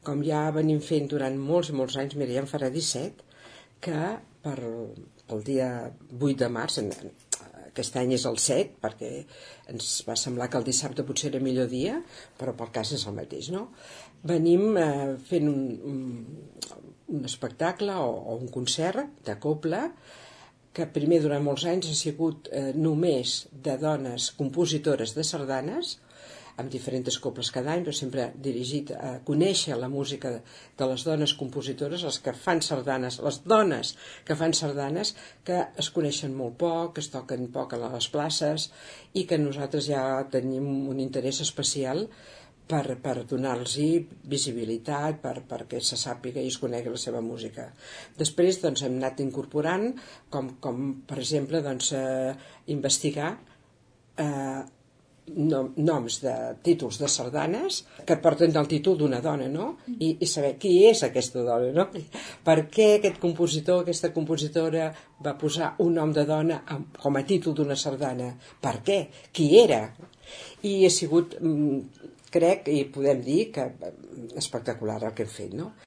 com ja venim fent durant molts i molts anys, mira, ja en farà 17, que pel dia 8 de març, aquest any és el 7, perquè ens va semblar que el dissabte potser era millor dia, però pel cas és el mateix, no? Venim fent un espectacle o un concert de cobla, que primer durant molts anys ha sigut només de dones compositores de sardanes, amb diferents cobles cada any, però sempre dirigit a conèixer la música de les dones compositores, les que fan sardanes, les dones que fan sardanes, que es coneixen molt poc, que es toquen poc a les places, i que nosaltres ja tenim un interès especial per donar-los visibilitat, perquè se sàpiga i es conegui la seva música. Després doncs, hem anat incorporant, com per exemple, investigar noms de títols de sardanes que porten el títol d'una dona, no? I saber qui és aquesta dona, no? Per què aquest compositor, aquesta compositora va posar un nom de dona com a títol d'una sardana? Per què? Qui era? I ha sigut, crec, i podem dir que espectacular el que hem fet, no?